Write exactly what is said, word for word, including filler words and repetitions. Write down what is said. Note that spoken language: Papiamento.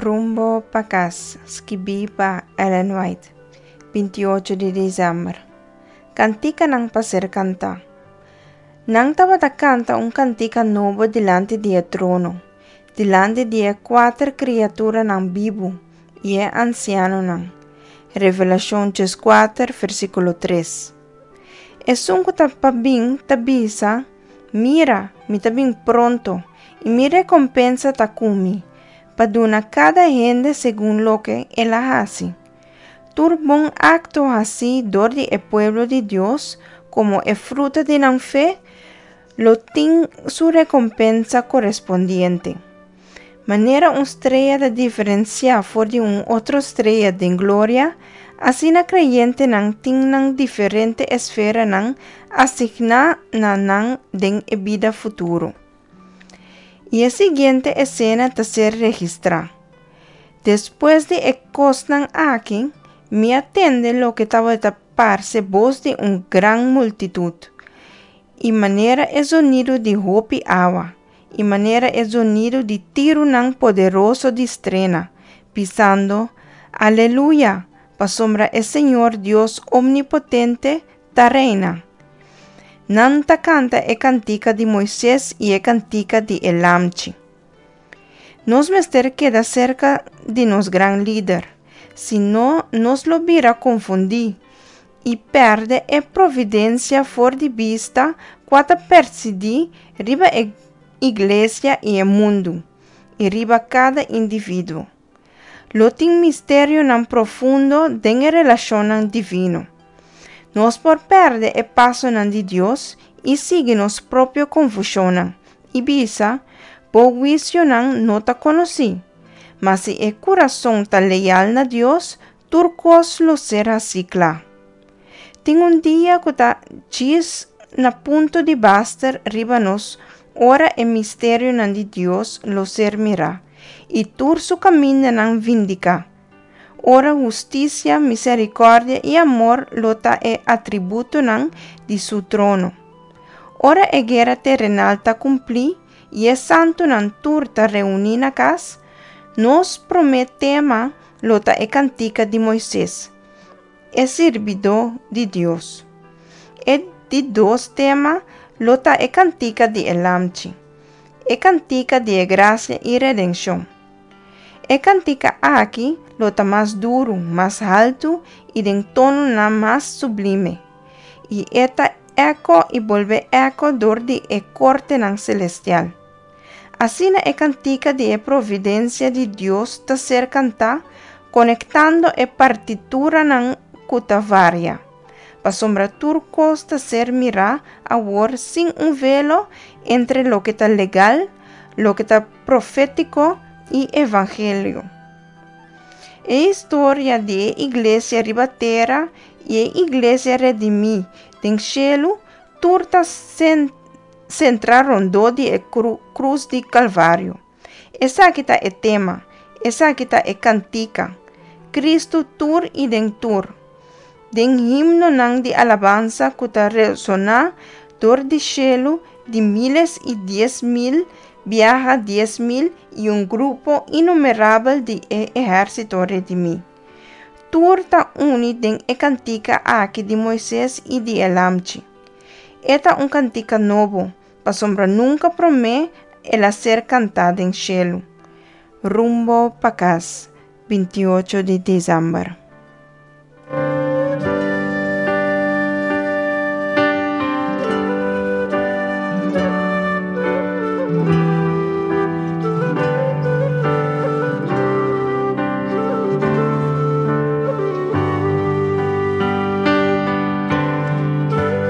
Rumbo pa Kas, skibí pa Ellen White, bintiocho di desèmber. Kantikanan pa ser kantá. Nan tabata kanta un kantika nobo dilanti di e trono, dilanti di e kuater kriaturanan bibu i e ansianonan. Revelashon dieskuater, versíkulo tres. Esun ku ta pa bin ta bisa, Mira, mi ta bin pronto, i mi rekompensa ta ku mi, pa duna kada hende segun loke el a hasi. Tur bon akto hasí dor di e pueblo di Dios komo e fruta di nan fe lo tin su rekompensa korespondiente. Manera un strea ta diferensiá for di un otro strea den gloria, asina kreyentenan tin nan diferente esferanan asigná na nan den e bida futuro. I e siguiente esena ta ser registrá, Despues di e kosnan aki, mi a tende loke tabata parse bos di un gran multitut, i manera e zonido di hopi awa, i manera e zonido di tirunan poderoso di strena, bisando, Aleluya, pasobra e Señor Dios Omnipotente ta reina. Nan ta kanta e kantika di Moises i e kantika di e Lamchi. Nos mester keda serka di nos gran Lider, sino nos lo bira konfundí i pèrdè e providensia for di bista kua ta presidí riba e iglesia i e mundu, i riba kada individuo. Lo tin misterionan profundo den e relashonnan divino. Nos por pèrdè e pasonan di Dios i sigui nos propio konfushonnan, i bisa, Bo huisionan no ta konosí. Ma si e kurason ta leal na Dios, tur kos lo ser hasí kla. Tin un dia ku ta djis na punto di baster riba nos ora e misterionan di Dios lo ser mirá i tur su kamindanan vindiká, ora hustisia, miserikòrdia i amor lo ta e atributonan di su trono. Ora e guera terenal ta kumplí i e santunan tur ta reuní na kas, nos promé tema lo ta e kantika di Moises, e sirbidó di Dios. E di dos tema lo ta e kantika di e Lamchi, e kantika di e grasia i redenshon. E kantika aki lo ta mas duru, mas haltu i den tononan mas sublime, i e ta eko i bolbe eko dor di e kortenan selestial. Asina e kantika di e providensia di Dios ta ser kantá, konektando e partituranan ku ta varia, pasobra tur kos ta ser mirá awor sin un velo entre loke ta legal, loke ta profétiko i evangelio. E historia di e iglesia riba tera i e iglesia redimí den shelu tur ta sentrá rondó di e krus di Kalvario. Esaki ta e tema, esaki ta e kantika, Kristu tur i den tur. Den himnonan di alabansa ku ta resoná dor di shelu di míles i dies mil biaha dies mil i un grupo inumerabel di e ehérsito redimí. Tur ta uni den e kantika aki di Moises i di e Lamchi. E ta un kantika nobo, pasobra nunka promé el a ser kantá den shelu. Rumbo pa kas, bintiocho di desèmber.